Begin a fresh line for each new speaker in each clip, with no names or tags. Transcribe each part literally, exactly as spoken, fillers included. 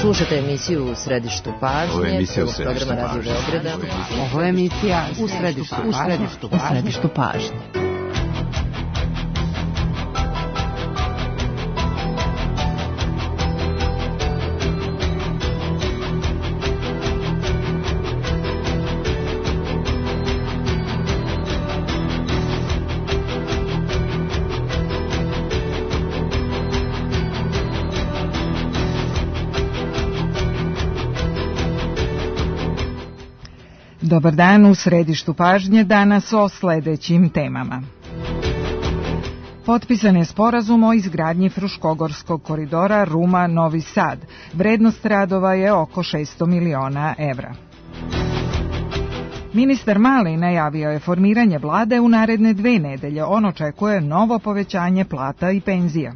Slušate emisiju U središtu pažnje, prvog programa Radio Beograda.
Ovo je emisija U središtu pažnje. U središtu pažnje.
Dobar dan, u središtu pažnje danas o sledećim temama. Potpisan je sporazum o izgradnji Fruškogorskog koridora Ruma-Novi Sad. Vrednost radova je oko šesto miliona evra. Ministar Mali najavio je formiranje vlade u naredne dve nedelje. On očekuje novo povećanje plata i penzija.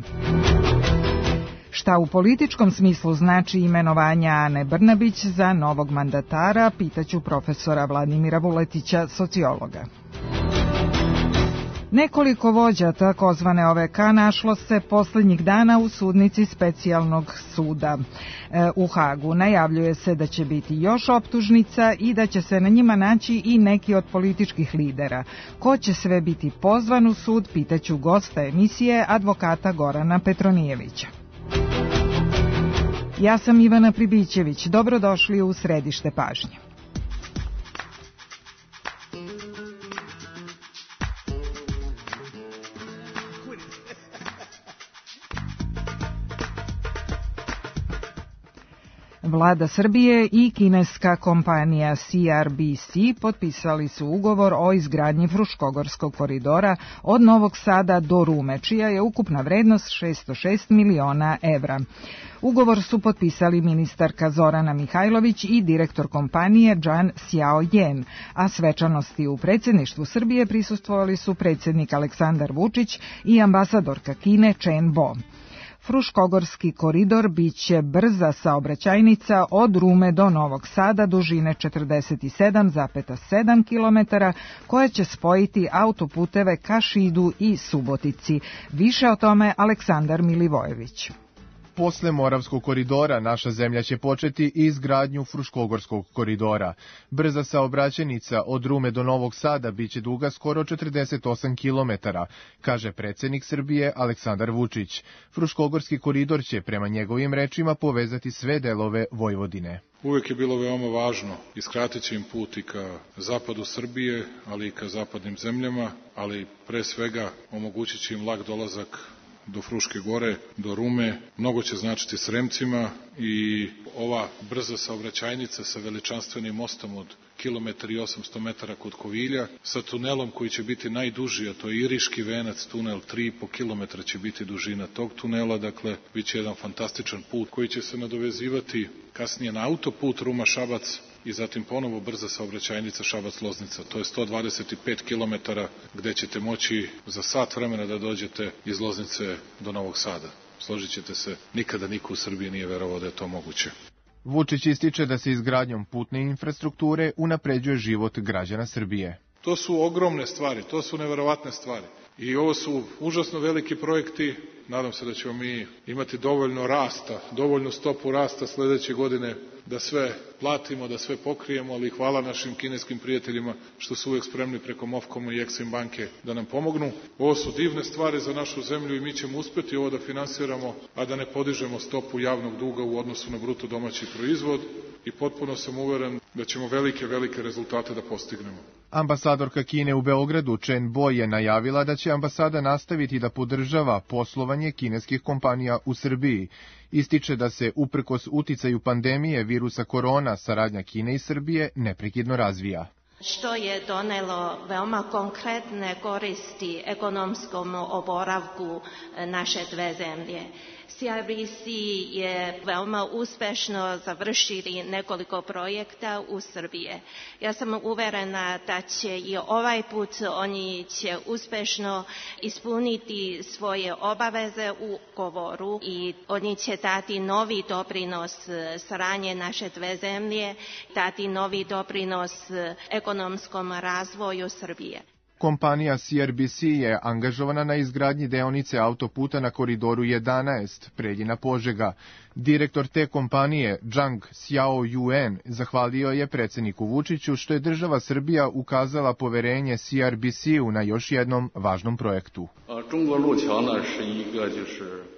Šta u političkom smislu znači imenovanja Ane Brnabić za novog mandatara, pitaću profesora Vladimira Vuletića, sociologa. Nekoliko vođa takozvane O V K našlo se poslednjih dana u sudnici specijalnog suda e, u Hagu. Najavljuje se da će biti još optužnica i da će se na njima naći i neki od političkih lidera. Ko će sve biti pozvan u sud, pitaću gosta emisije, advokata Gorana Petronijevića. Ja sam Ivana Pribićević. Dobrodošli u središte pažnje. Vlada Srbije i kineska kompanija C R B C potpisali su ugovor o izgradnji Fruškogorskog koridora od Novog Sada do Rume, čija je ukupna vrednost šesto šest miliona evra. Ugovor su potpisali ministarka Zorana Mihajlović i direktor kompanije Zhang Xiaoyan, a svečanosti u predsjedništvu Srbije prisustvovali su predsjednik Aleksandar Vučić i ambasadorka Kine Chen Bo. Fruškogorski koridor biće brza saobraćajnica od Rume do Novog Sada dužine četrdeset sedam zarez sedam kilometara koja će spojiti autoputeve ka Šidu i Subotici. Više o tome Aleksandar Milivojević.
Posle Moravskog koridora naša zemlja će početi i izgradnju Fruškogorskog koridora. Brza saobraćajnica od Rume do Novog Sada biće duga skoro četrdeset osam kilometara, kaže predsjednik Srbije Aleksandar Vučić. Fruškogorski koridor će, prema njegovim rečima, povezati sve delove Vojvodine.
Uvek je bilo veoma važno i skratit će im put i ka zapadu Srbije, ali i ka zapadnim zemljama, ali pre svega omogućit će im lak dolazak do Fruške gore, do Rume. Mnogo će značiti Sremcima i ova brza saobraćajnica sa veličanstvenim mostom od kilometar i osamsto metara kod Kovilja, sa tunelom koji će biti najduži, a to je Iriški venac tunel, tri i po kilometra će biti dužina tog tunela, dakle, bit će jedan fantastičan put koji će se nadovezivati kasnije na autoput Ruma-Šabac i zatim ponovo brza saobraćajnica Šabac-Loznica. To je sto dvadeset pet kilometara gde ćete moći za sat vremena da dođete iz Loznice do Novog Sada. Složit ćete se, nikada niko u Srbiji nije verovao da je to moguće.
Vučić ističe da se izgradnjom putne infrastrukture unapređuje život građana Srbije.
To su ogromne stvari, to su neverovatne stvari. I ovo su užasno veliki projekti. Nadam se da ćemo mi imati dovoljno rasta, dovoljnu stopu rasta sledeće godine da sve platimo, da sve pokrijemo, ali hvala našim kineskim prijateljima što su uvek spremni preko Mofcoma i Exim banke da nam pomognu. Ovo su divne stvari za našu zemlju i mi ćemo uspeti ovo da finansiramo, a da ne podižemo stopu javnog duga u odnosu na bruto domaći proizvod i potpuno sam uveren da ćemo velike, velike rezultate da postignemo.
Ambasadorka Kine u Beogradu Chen Bo je najavila da će ambasada nastaviti da podržava poslovanje kineskih kompanija u Srbiji. Ističe da se, uprkos uticaju pandemije virusa korona, saradnja Kine i Srbije neprekidno razvija.
Što je donelo veoma konkretne koristi ekonomskom oporavku naše dve zemlje. C R B C je veoma uspešno završili nekoliko projekta u Srbije. Ja sam uverena da će i ovaj put oni će uspešno ispuniti svoje obaveze u ugovoru i oni će dati novi doprinos saradnje naše dve zemlje, dati novi doprinos ekonomskom razvoju Srbije.
Kompanija C R B C je angažovana na izgradnji deonice autoputa na koridoru jedanaest, Preljina-Požega. Direktor te kompanije, Zhang Xiaoyuan, zahvalio je predsjedniku Vučiću što je država Srbija ukazala poverenje C R B C-u na još jednom važnom projektu.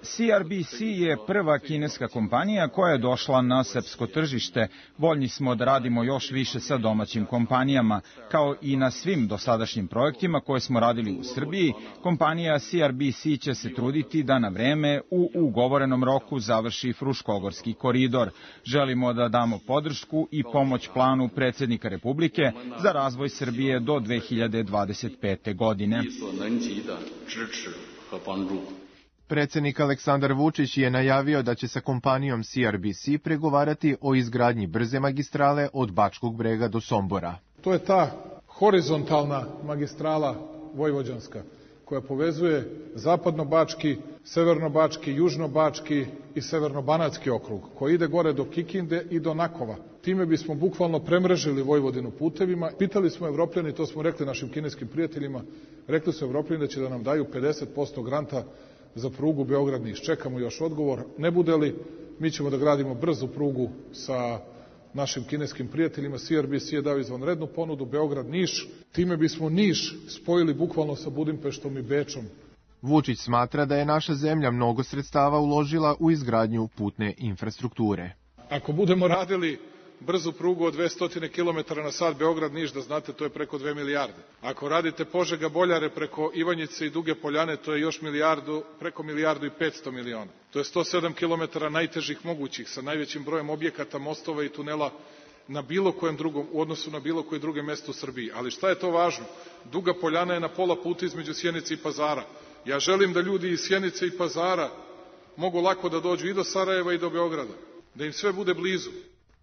C R B C je prva kineska kompanija koja je došla na srpsko tržište. Voljni smo da radimo još više sa domaćim kompanijama. Kao i na svim dosadašnjim projektima koje smo radili u Srbiji, kompanija C R B C će se truditi da na vreme u ugovorenom roku završi Fruškogorski koridor. Želimo da damo podršku i pomoć planu predsjednika Republike za razvoj Srbije do dve hiljade dvadeset pete. godine.
Predsjednik Aleksandar Vučić je najavio da će sa kompanijom C R B C pregovarati o izgradnji brze magistrale od Bačkog Brega do Sombora.
To je ta horizontalna magistrala vojvođanska koja povezuje zapadno-bački, severno-bački, južno-bački i severno-banatski okrug, koji ide gore do Kikinde i do Nakova. Time bismo bukvalno premrežili Vojvodinu putevima. Pitali smo Evropljani, to smo rekli našim kineskim prijateljima, rekli su Evropljani da će da nam daju pedeset posto granta za prugu Beograd-Niš. Čekamo još odgovor. Ne bude li, mi ćemo da gradimo brzu prugu sa našim kineskim prijateljima. C R B C je dao izvanrednu ponudu Beograd-Niš. Time bismo Niš spojili bukvalno sa Budimpeštom i Bečom.
Vučić smatra da je naša zemlja mnogo sredstava uložila u izgradnju putne infrastrukture.
Ako budemo radili brzu prugu od dvesta kilometara na sat Beograd-Niš, da znate, to je preko dve milijarde. Ako radite Požega-Boljare preko Ivanjice i Duge Poljane, to je još milijardu, preko milijardu i petsto miliona. To je sto sedam kilometara najtežih mogućih, sa najvećim brojem objekata, mostova i tunela na bilo kojem drugom, u odnosu na bilo koje druge mesto u Srbiji. Ali šta je to važno? Duga Poljana je na pola puta između Sjenice i Pazara. Ja želim da ljudi iz Sjenice i Pazara mogu lako da dođu i do Sarajeva i do Beograda, da im sve bude blizu.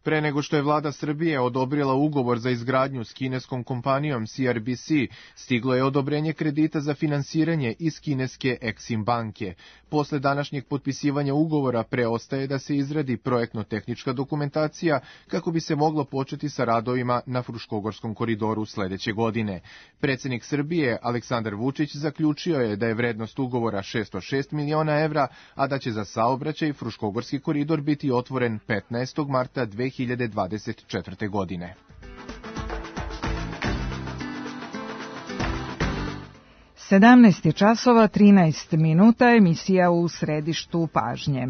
Pre nego što je vlada Srbije odobrila ugovor za izgradnju s kineskom kompanijom C R B C, stiglo je odobrenje kredita za finansiranje iz kineske Exim banke. Posle današnjeg potpisivanja ugovora preostaje da se izradi projektno-tehnička dokumentacija kako bi se moglo početi sa radovima na Fruškogorskom koridoru sledeće godine. Predsjednik Srbije Aleksandar Vučić zaključio je da je vrednost ugovora šesto šest miliona evra, a da će za saobraćaj Fruškogorski koridor biti otvoren petnaestog marta dve hiljade dvadeset četvrte. godine.
sedamnaest je časova trinaest minuta, emisija u središtu pažnje.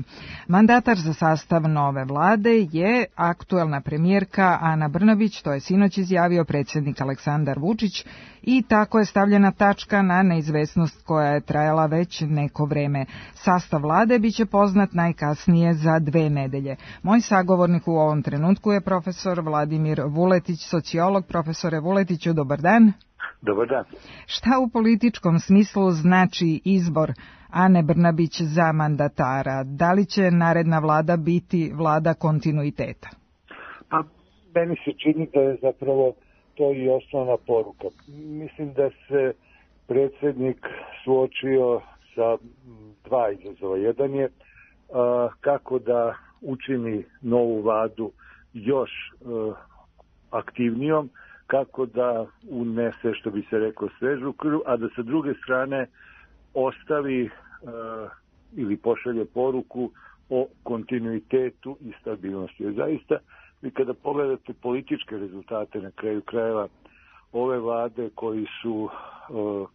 Mandatar za sastav nove vlade je aktuelna premijerka Ana Brnabić, to je sinoć izjavio predsjednik Aleksandar Vučić, i tako je stavljena tačka na neizvesnost koja je trajala već neko vreme. Sastav vlade biće poznat najkasnije za dve nedelje. Moj sagovornik u ovom trenutku je profesor Vladimir Vuletić, sociolog. Profesore Vuletiću, dobar dan.
Dobar dan.
Šta u političkom smislu znači izbor Ane Brnabić za mandatara? Da li će naredna vlada biti vlada kontinuiteta?
Pa, meni se čini da je zapravo to i osnovna poruka. Mislim da se predsjednik suočio sa dva izazova. Jedan je a, kako da učini novu vladu još a, aktivnijom, kako da unese, što bi se reklo, svežu krv, a da sa druge strane ostavi uh, ili pošalje poruku o kontinuitetu i stabilnosti. Jer zaista, vi kada pogledate političke rezultate na kraju krajeva ove vlade koji su uh,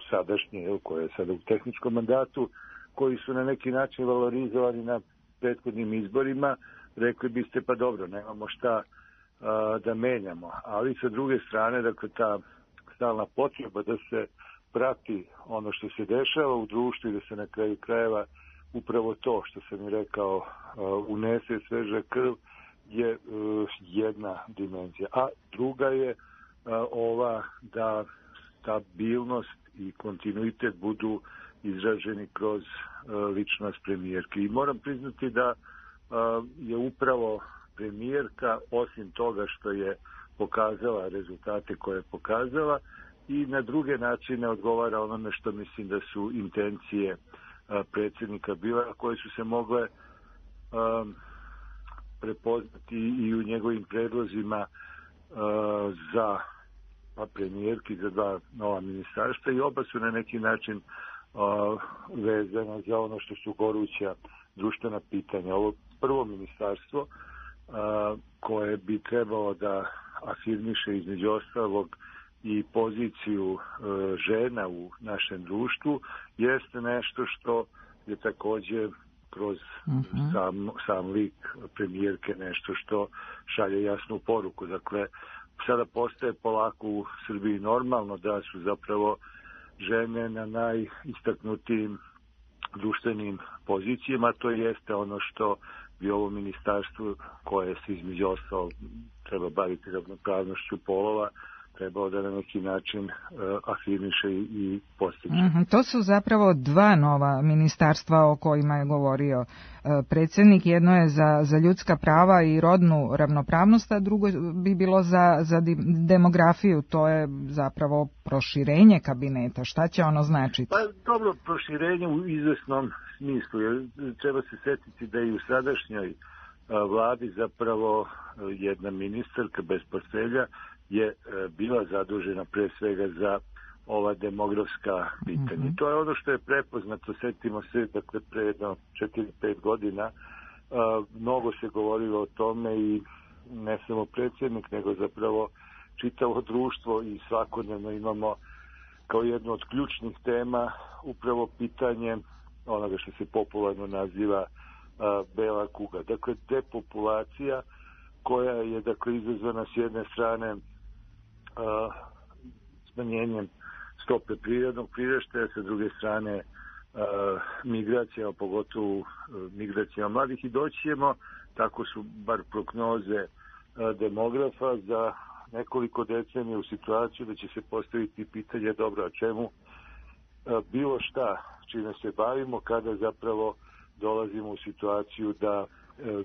sadašnje, koje je sada u tehničkom mandatu, koji su na neki način valorizovani na prethodnim izborima, rekli biste pa dobro, nemamo šta da menjamo, ali sa druge strane, dakle, ta stalna potreba da se prati ono što se dešava u društvu i da se na kraju krajeva upravo to što sam i rekao unese sveža krv je jedna dimenzija. A druga je ova da stabilnost i kontinuitet budu izraženi kroz ličnost premijerke. I moram priznati da je upravo premijerka, osim toga što je pokazala rezultate koje je pokazala, i na druge načine odgovara onome što mislim da su intencije a, predsjednika bila, koje su se mogle a, prepoznati i u njegovim predlozima a, za premijerki, za dva nova ministarstva i oba su na neki način uh, vezana za ono što su goruća društvena pitanja. Ovo prvo ministarstvo uh, koje bi trebalo da afirmiše između ostalog i poziciju uh, žena u našem društvu jeste nešto što je također kroz uh-huh. sam, sam lik premijerke nešto što šalje jasnu poruku. Dakle, sada postaje polako u Srbiji normalno da su zapravo žene na najistaknutijim društvenim pozicijama. To jeste ono što bi ovo ministarstvo koje se između ostalog treba baviti ravnopravnošću polova trebao da na neki način uh, afirmiše i postiče.
Mm-hmm. To su zapravo dva nova ministarstva o kojima je govorio uh, predsjednik. Jedno je za, za ljudska prava i rodnu ravnopravnost, a drugo bi bilo za, za demografiju. To je zapravo proširenje kabineta. Šta će ono značiti?
Pa dobro, proširenje u izvesnom smislu. Jer treba se setiti da i u sadašnjoj uh, vladi zapravo uh, jedna ministarka bez portfelja je bila zadužena pre svega za ova demografska pitanja. Mm-hmm. To je ono što je prepoznato, setimo se, dakle, pre jedno četiri pet godina uh, mnogo se govorilo o tome i ne samo predsjednik, nego zapravo čitavo društvo i svakodnevno imamo kao jednu od ključnih tema upravo pitanje onoga što se popularno naziva uh, bela kuga. Dakle, depopulacija koja je, dakle, izazvana s jedne strane Uh, smanjenjem stope prirodnog priraštaja, sa druge strane uh, migracijama, pogotovo uh, migracijama mladih, i doći ćemo, tako su bar prognoze uh, demografa, za nekoliko decenija u situaciju da će se postaviti pitanje dobro, a čemu uh, bilo šta čime se bavimo kada zapravo dolazimo u situaciju da uh,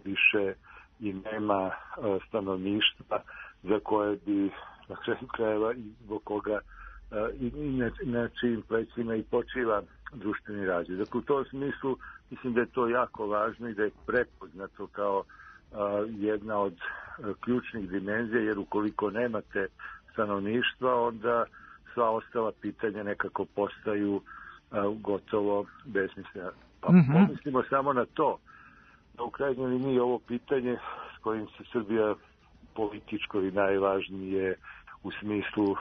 više i nema uh, stanovništva za koje bi na kraju krajeva i zbog koga uh, i, i na, na čijim plećima i počiva društveni razvoj. Dakle, u tom smislu mislim da je to jako važno i da je prepoznato kao uh, jedna od uh, ključnih dimenzija, jer ukoliko nemate stanovništva, onda sva ostala pitanja nekako postaju uh, gotovo besmislena. Pa mm-hmm. pomislimo samo na to da u krajnjoj liniji ovo pitanje s kojim se Srbija političko i najvažnije u smislu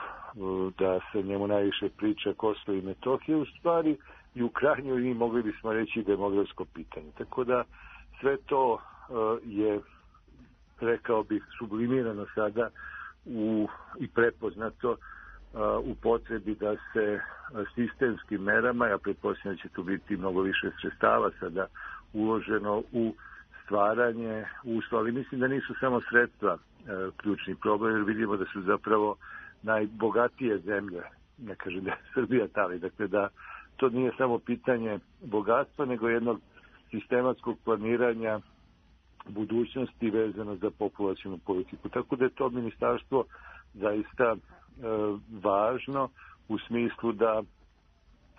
da se njemu najviše priča Kosovo i Metohija, u stvari i u krajnjoj liniji mogli bismo reći demografsko pitanje. Tako da sve to uh, je, rekao bih, sublimirano sada u, i prepoznato uh, u potrebi da se sistemskim merama, ja pretpostavljam da će tu biti mnogo više sredstava sada uloženo u stvaranje uslova, ali mislim da nisu samo sredstva e, ključni problem, jer vidimo da su zapravo najbogatije zemlje, ne kažem da je Srbija tali, dakle da to nije samo pitanje bogatstva, nego jednog sistematskog planiranja budućnosti vezano za populacionu politiku. Tako da je to ministarstvo zaista e, važno u smislu da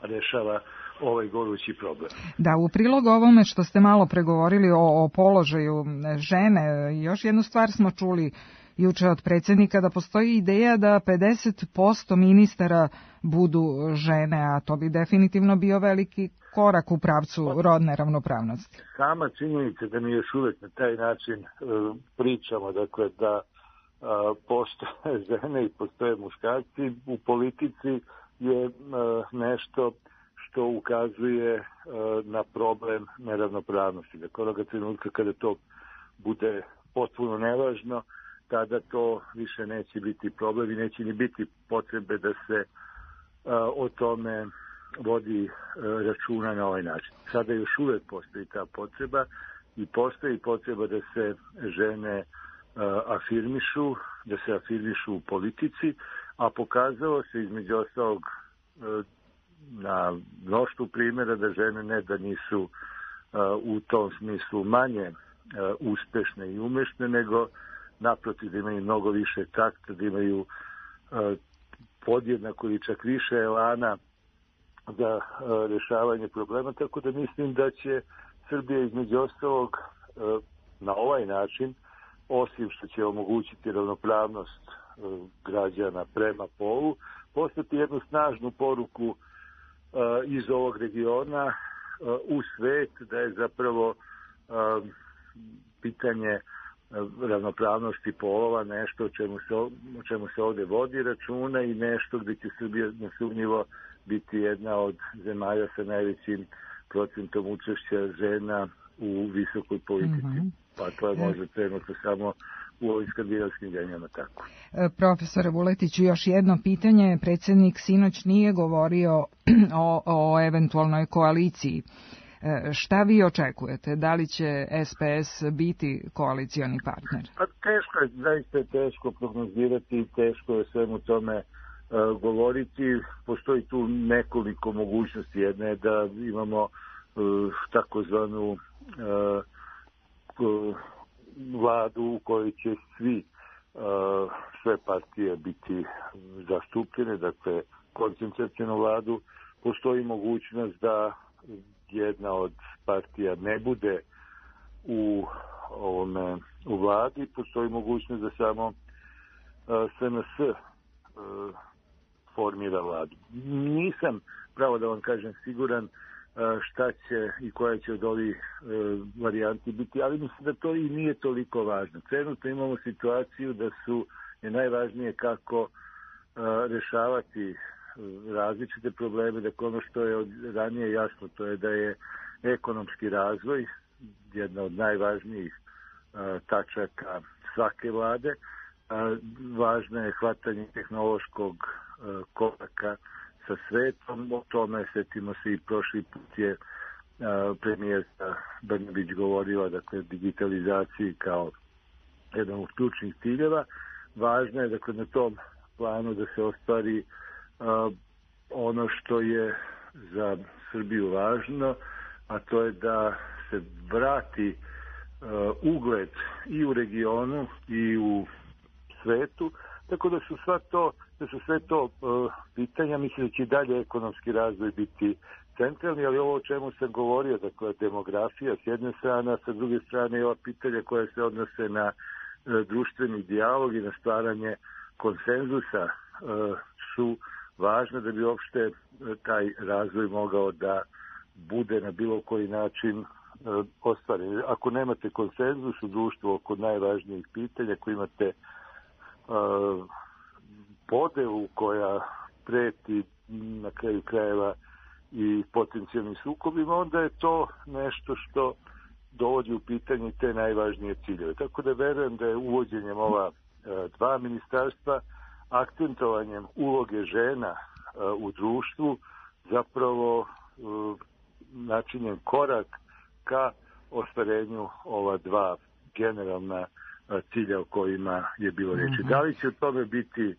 rešava ovaj gorući problem.
Da, u prilog ovome što ste malo pregovorili o, o položaju žene, još jednu stvar smo čuli juče od predsjednika, da postoji ideja da pedeset posto ministara budu žene, a to bi definitivno bio veliki korak u pravcu rodne ravnopravnosti.
Sama činjenica da mi još uvek na taj način uh, pričamo, dakle da uh, postoje žene i postoje muškarci u politici, je uh, nešto što ukazuje uh, na problem neravnopravnosti. Dakle, onoga trenutka kada to bude potpuno nevažno, tada to više neće biti problem i neće ni biti potrebe da se uh, o tome vodi uh, računa na ovaj način. Sada još uvek postoji ta potreba i postoji potreba da se žene uh, afirmišu, da se afirmišu u politici, a pokazalo se između ostalog uh, na mnoštvu primjera da žene ne da nisu uh, u tom smislu manje uh, uspešne i umešne, nego naprotiv da imaju mnogo više takta, da imaju uh, podjednako ili čak više elana za uh, rešavanje problema, tako da mislim da će Srbija između ostalog uh, na ovaj način, osim što će omogućiti ravnopravnost građana prema polu, poslati jednu snažnu poruku iz ovog regiona u svet da je zapravo pitanje ravnopravnosti polova nešto o čemu se, o čemu se ovdje vodi računa i nešto gdje će Srbija nesumnjivo biti jedna od zemalja sa najvećim procentom učešća žena u visokoj politici. Mm-hmm. Pa to je možda trenutno samo u ovim skandinavskim zemljama tako.
Profesore Vuletiću, još jedno pitanje. Predsjednik sinoć nije govorio o, o eventualnoj koaliciji. Šta vi očekujete? Da li će S P S biti koalicioni partner?
Pa teško je, zaista je teško prognozirati, teško je svemu tome uh, govoriti. Postoji tu nekoliko mogućnosti. Jedna je da imamo uh, takozvanu uh, vladu u kojoj će svi, uh, sve partije biti zastupljene, dakle koncentracijnu vladu. Postoji mogućnost da jedna od partija ne bude u ovome u vladi, postoji mogućnost da samo uh, S N S uh, formira vladu. Nisam, pravo da vam kažem, siguran uh, šta će i koja će od ovih uh, varijanti biti, ali mislim da to i nije toliko važno. Trenutno imamo situaciju da su je najvažnije kako uh, rešavati različite probleme, da ono što je od ranije jasno, to je da je ekonomski razvoj jedna od najvažnijih a, tačaka svake vlade. A, važno je hvatanje tehnološkog a, koraka sa svetom. O tome, setimo se, i prošli put je a, premijerka Brnabić govorila, dakle, digitalizaciji kao jedan od ključnih ciljeva. Važno je, dakle, na tom planu da se ostvari Uh, ono što je za Srbiju važno, a to je da se vrati uh, ugled i u regionu i u svetu, tako da su sva to, da su sve to uh, pitanja. Mislim da će dalje ekonomski razvoj biti centralni, ali ovo o čemu sam govorio, dakle demografija s jedne strane, a sa druge strane i ova pitanja koja se odnose na uh, društveni dijalog i na stvaranje konsenzusa uh, su važno da bi uopšte taj razvoj mogao da bude na bilo koji način uh, ostvaren. Ako nemate konsenzus u društvu oko najvažnijih pitanja, ako imate uh, podelu koja preti na kraju krajeva i potencijalnim sukobima, onda je to nešto što dovodi u pitanje te najvažnije ciljeve. Tako da verujem da je uvođenjem ova uh, dva ministarstva, akcentovanjem uloge žena uh, u društvu, zapravo uh, načinjen korak ka ostvarenju ova dva generalna uh, cilja o kojima je bilo reči. Mm-hmm. Da li će o tome biti uh,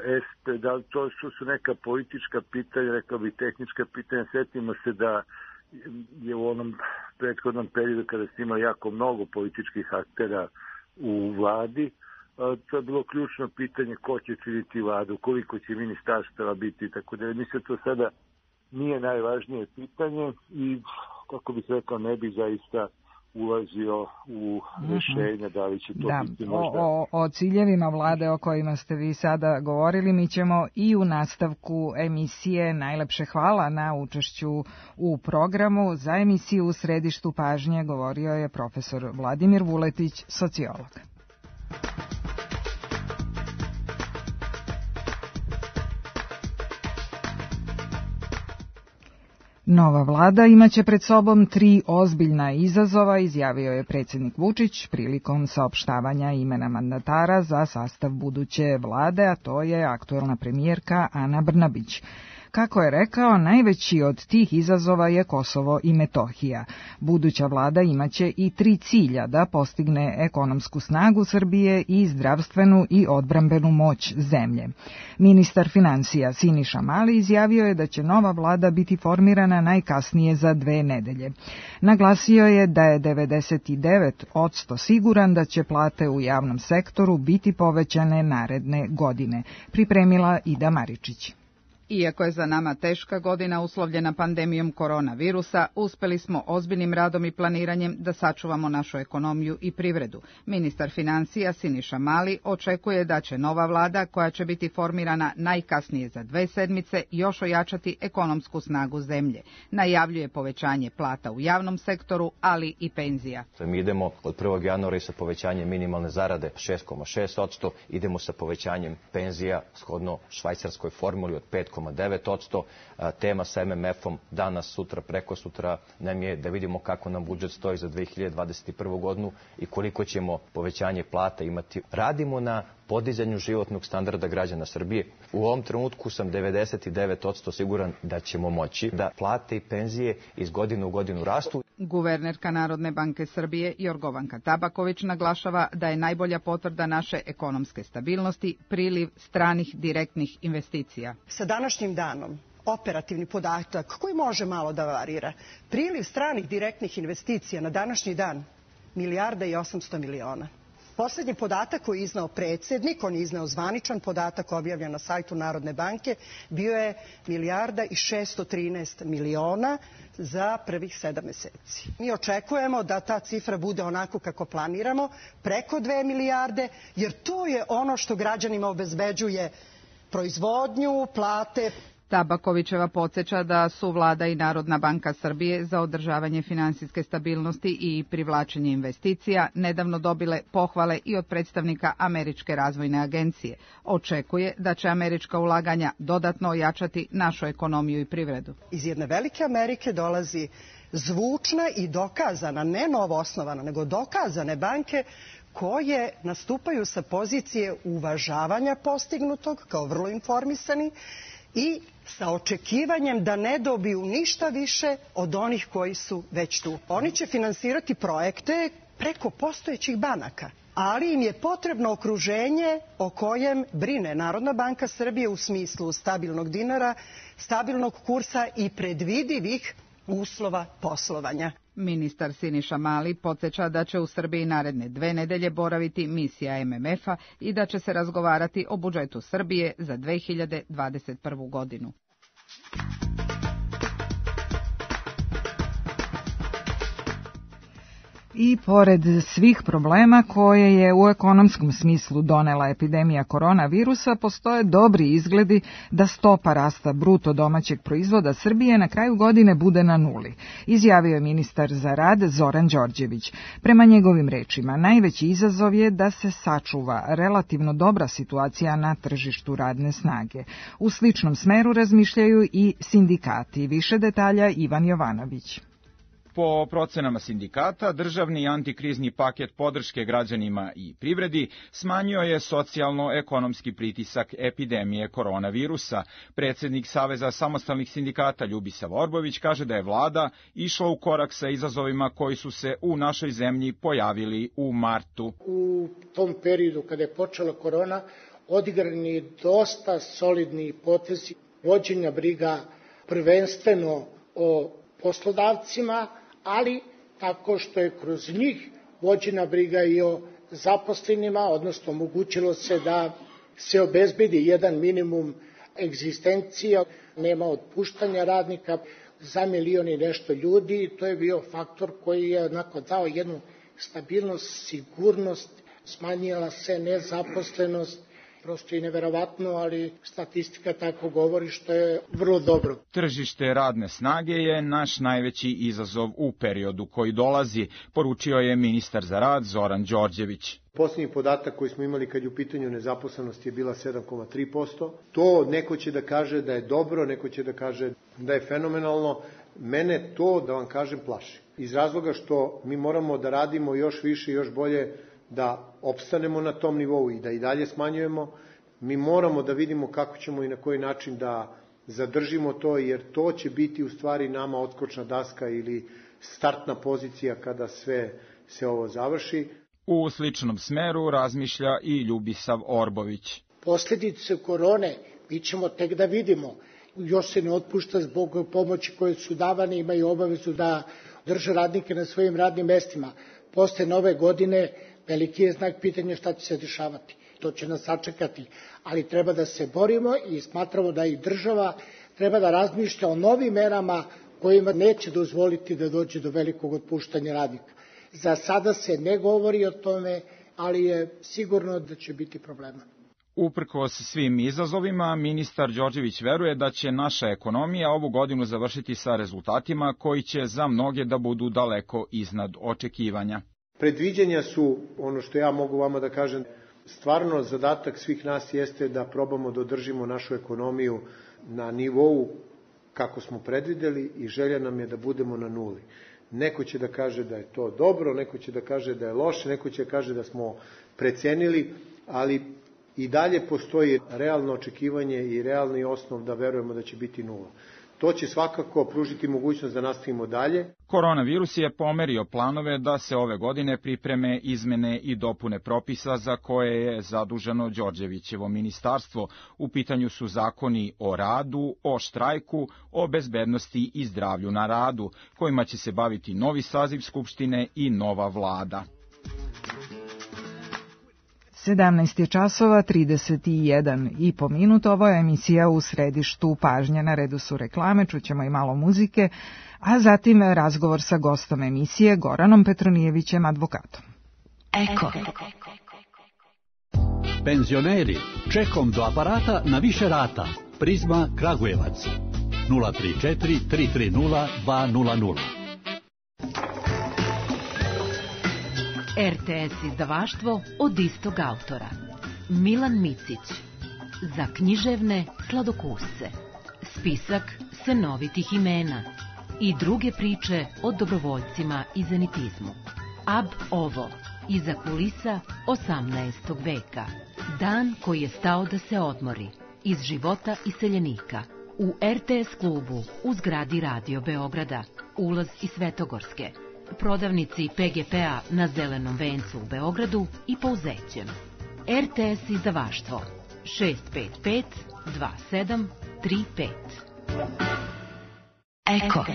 S P, da li to što su neka politička pitanja, rekao bi tehnička pitanja. Sjetimo se da je u onom prethodnom periodu kada ste imali jako mnogo političkih aktera u vladi, to je bilo ključno pitanje ko će činiti vladu, koliko će ministarstava biti, tako da mislim to sada nije najvažnije pitanje i, kako bih rekao, ne bi zaista ulazio u rješenja da li će to
da,
biti možda...
O, o, o ciljevima vlade o kojima ste vi sada govorili mi ćemo i u nastavku emisije. Najlepše hvala na učešću u programu. Za emisiju U središtu pažnje govorio je profesor Vladimir Vuletić, sociolog. Nova vlada imaće pred sobom tri ozbiljna izazova, izjavio je predsjednik Vučić prilikom saopštavanja imena mandatara za sastav buduće vlade, a to je aktuelna premijerka Ana Brnabić. Kako je rekao, najveći od tih izazova je Kosovo i Metohija. Buduća vlada imaće i tri cilja: da postigne ekonomsku snagu Srbije i zdravstvenu i odbrambenu moć zemlje. Ministar finansija Siniša Mali izjavio je da će nova vlada biti formirana najkasnije za dve nedelje. Naglasio je da je devedeset devet posto siguran da će plate u javnom sektoru biti povećane naredne godine. Pripremila Ida Maričić.
Iako je za nama teška godina uslovljena pandemijom koronavirusa, uspeli smo ozbiljnim radom i planiranjem da sačuvamo našu ekonomiju i privredu. Ministar financija Siniša Mali očekuje da će nova vlada, koja će biti formirana najkasnije za dve sedmice, još ojačati ekonomsku snagu zemlje. Najavljuje povećanje plata u javnom sektoru, ali i penzija.
Mi idemo od prvog januara i sa povećanjem minimalne zarade šest zarez šest posto, idemo sa povećanjem penzija shodno švajcarskoj formuli od pet zarez devet posto. Tema sa em em efom danas, sutra, preko sutra nam je da vidimo kako nam budžet stoji za dve hiljade dvadeset prvu godinu i koliko ćemo povećanje plata imati. Radimo na podizanju životnog standarda građana Srbije. U ovom trenutku sam devedeset devet posto siguran da ćemo moći da plate i penzije iz godine u godinu rastu.
Guvernerka Narodne banke Srbije Jorgovanka Tabaković naglašava da je najbolja potvrda naše ekonomske stabilnosti priliv stranih direktnih investicija.
Sa današnjim danom operativni podatak koji može malo da varira. Priliv stranih direktnih investicija na današnji dan milijarda i osamsto miliona. Poslednji podatak koji je iznao predsjednik, on je iznao zvaničan podatak objavljen na sajtu Narodne banke, bio je milijarda i šesto trinaest miliona za prvih sedam meseci. Mi očekujemo da ta cifra bude onako kako planiramo, preko dve milijarde, jer to je ono što građanima obezbeđuje proizvodnju, plate.
Tabakovićeva podsjeća da su vlada i Narodna banka Srbije za održavanje finansijske stabilnosti i privlačenje investicija nedavno dobile pohvale i od predstavnika Američke razvojne agencije. Očekuje da će američka ulaganja dodatno ojačati našu ekonomiju i privredu.
Iz jedne velike Amerike dolazi zvučna i dokazana, ne novoosnovana, nego dokazane banke koje nastupaju sa pozicije uvažavanja postignutog kao vrlo informisani i sa očekivanjem da ne dobiju ništa više od onih koji su već tu. Oni će finansirati projekte preko postojećih banaka, ali im je potrebno okruženje o kojem brine Narodna banka Srbije u smislu stabilnog dinara, stabilnog kursa i predvidivih uslova poslovanja.
Ministar Siniša Mali podsjeća da će u Srbiji naredne dve nedelje boraviti misija em em efa i da će se razgovarati o budžetu Srbije za dve hiljade dvadeset prvu godinu.
I pored svih problema koje je u ekonomskom smislu donela epidemija koronavirusa, postoje dobri izgledi da stopa rasta bruto domaćeg proizvoda Srbije na kraju godine bude na nuli, izjavio je ministar za rad Zoran Đorđević. Prema njegovim rečima, najveći izazov je da se sačuva relativno dobra situacija na tržištu radne snage. U sličnom smeru razmišljaju i sindikati. Više detalja Ivan Jovanović.
Po procenama sindikata, državni antikrizni paket podrške građanima i privredi smanjio je socijalno-ekonomski pritisak epidemije koronavirusa. Predsjednik Saveza samostalnih sindikata Ljubisav Orbović kaže da je vlada išla u korak sa izazovima koji su se u našoj zemlji pojavili u martu.
U tom periodu kada je počela korona, odigrani dosta solidni potezi vođenja briga prvenstveno o poslodavcima, ali tako što je kroz njih vođena briga i o zaposlenima, odnosno omogućilo se da se obezbedi jedan minimum egzistencija, nema otpuštanja radnika za milion i nešto ljudi. To je bio faktor koji je onako dao jednu stabilnost, sigurnost, smanjila se nezaposlenost, prosto i neverovatno, ali statistika tako govori, što je vrlo dobro.
Tržište radne snage je naš najveći izazov u periodu koji dolazi, poručio je ministar za rad Zoran Đorđević.
Posljednji podatak koji smo imali kad je u pitanju nezaposlenost je bila sedam zarez tri posto. To neko će da kaže da je dobro, neko će da kaže da je fenomenalno. Mene to, da vam kažem, plaši. Iz razloga što mi moramo da radimo još više i još bolje da opstanemo na tom nivou i da i dalje smanjujemo. Mi moramo da vidimo kako ćemo i na koji način da zadržimo to, jer to će biti u stvari nama odskočna daska ili startna pozicija kada sve se ovo završi.
U sličnom smeru razmišlja i Ljubisav Orbović.
Posljedice korone mi ćemo tek da vidimo. Još se ne otpušta zbog pomoći koje su davane, imaju obavezu da drže radnike na svojim radnim mestima. Posle nove godine veliki je znak pitanja šta će se dešavati. to će nas sačekati, ali treba da se borimo i smatramo da i država treba da razmišlja o novim merama kojima neće dozvoliti da dođe do velikog otpuštanja radnika. Za sada se ne govori o tome, ali je sigurno da će biti problema.
Uprkos svim izazovima, ministar Đorđević veruje da će naša ekonomija ovu godinu završiti sa rezultatima koji će za mnoge da budu daleko iznad očekivanja.
Predviđanja su, ono što ja mogu vama da kažem, stvarno zadatak svih nas jeste da probamo da održimo našu ekonomiju na nivou kako smo predvideli i želja nam je da budemo na nuli. Neko će da kaže da je to dobro, neko će da kaže da je loše, neko će da kaže da smo precenili, ali i dalje postoji realno očekivanje i realni osnov da verujemo da će biti nula. To će svakako pružiti mogućnost da nastavimo dalje.
Koronavirus je pomerio planove da se ove godine pripreme izmene i dopune propisa za koje je zaduženo Đorđevićevo ministarstvo. U pitanju su zakoni o radu, o štrajku, o bezbednosti i zdravlju na radu, kojima će se baviti novi saziv Skupštine i nova vlada.
sedamnaest je časova trideset jedan i po minut. Ovo je emisija U središtu pažnje. Na redu su reklame, čućemo i malo muzike, a zatim razgovor sa gostom emisije Goranom Petronijevićem, advokatom.
Eko. Penzioneri, čekom do aparata na više rata. Prizma Kragujevac. nula tri četiri tri tri nula dva nula nula.
R T S izdavaštvo od istog autora. Milan Micić. Za književne sladokusce. Spisak senovitih imena. I druge priče o dobrovoljcima i zenitizmu. Ab ovo. Iza kulisa osamnaestog veka. Dan koji je stao da se odmori. Iz života iseljenika. U R T S klubu u zgradi Radio Beograda. Ulaz iz Svetogorske. Prodavnici P G P-a na Zelenom vencu u Beogradu i Pouzećem. R T S izdavaštvo šest pet pet dva sedam tri pet.
Eko.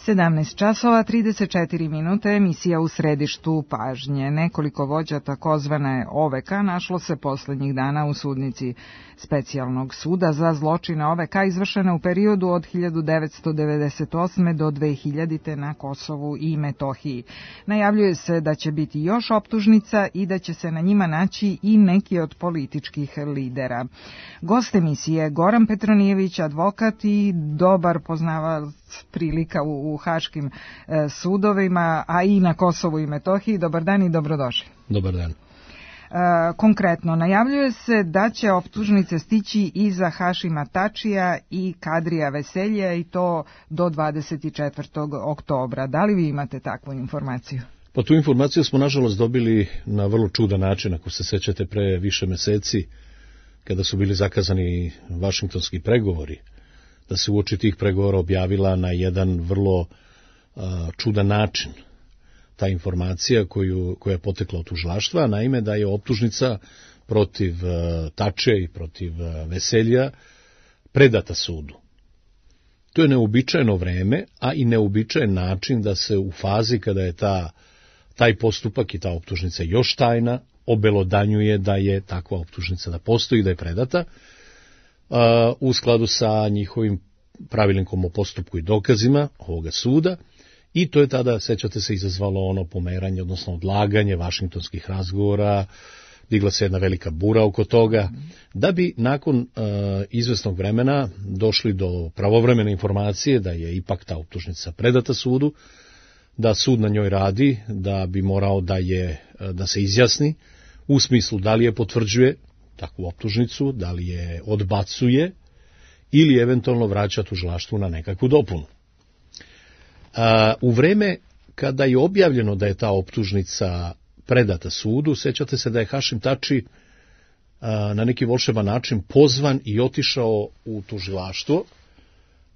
sedamnaest časova trideset četiri minute, emisija U središtu pažnje. Nekoliko vođa takozvane O V K našlo se poslednjih dana u sudnici Specijalnog suda za zločine O V K izvršene u periodu od hiljadu devetsto devedeset osme do dve hiljadite na Kosovu i Metohiji. Najavljuje se da će biti još optužnica i da će se na njima naći i neki od političkih lidera. Gost emisije Goran Petronijević, advokat i dobar poznavalac prilika u, u haškim e, sudovima, a i na Kosovu i Metohiji. Dobar dan i dobrodošli.
Dobar dan.
E, konkretno, najavljuje se da će optužnice stići i za Hašima Tačija i Kadrija Veselja i to do dvadeset četvrtog oktobra. Da li vi imate takvu informaciju?
Pa tu informaciju smo nažalost dobili na vrlo čudan način, ako se sećate, pre više meseci, kada su bili zakazani vašingtonski pregovori, da se uoči tih pregovora objavila na jedan vrlo a, čudan način ta informacija koju, koja je potekla od tužilaštva, naime da je optužnica protiv a, Tače i protiv a, Veselja predata sudu. To je neobičajeno vreme, a i neobičajen način da se u fazi kada je ta, taj postupak i ta optužnica još tajna, obelodanjuje da je takva optužnica da postoji, da je predata, uh, u skladu sa njihovim pravilnikom o postupku i dokazima ovoga suda, i to je tada, sećate se, izazvalo ono pomeranje, odnosno odlaganje vašingtonskih razgovora, digla se jedna velika bura oko toga, da bi nakon uh, izvesnog vremena došli do pravovremene informacije da je ipak ta optužnica predata sudu, da sud na njoj radi, da bi morao da je da se izjasni u smislu da li je potvrđuje takvu optužnicu, da li je odbacuje ili eventualno vraća tužilaštvu na nekakvu dopunu. A, u vreme kada je objavljeno da je ta optužnica predata sudu, sećate se da je Hašim Tači a, na neki volšeban način pozvan i otišao u tužilaštvo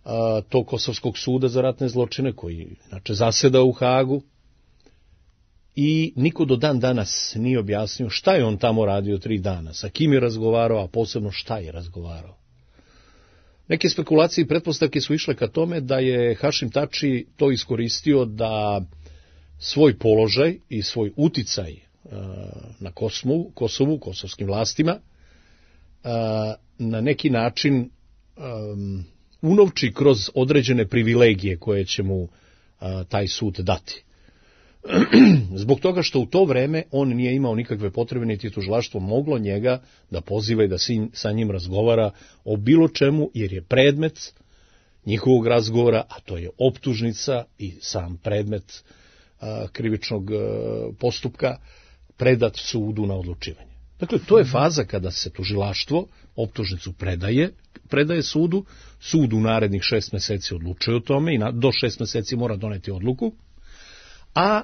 a, tog Kosovskog suda za ratne zločine, koji inače zaseda u Hagu, i niko do dan danas nije objasnio šta je on tamo radio tri dana, sa kim je razgovarao, a posebno šta je razgovarao. Neke spekulacije i pretpostavke su išle ka tome da je Hašim Tači to iskoristio da svoj položaj i svoj uticaj uh, na Kosovu, Kosovu, kosovskim vlastima, uh, na neki način um, unovči kroz određene privilegije koje će mu uh, taj sud dati. Zbog toga što u to vreme on nije imao nikakve potrebe, niti tužilaštvo moglo njega da poziva i da sa njim razgovara o bilo čemu, jer je predmet njihovog razgovora, a to je optužnica i sam predmet a, krivičnog a, postupka, predat sudu na odlučivanje. Dakle, to je faza kada se tužilaštvo optužnicu predaje, predaje sudu, sud u narednih šest meseci odlučuje o tome i na, do šest meseci mora doneti odluku, a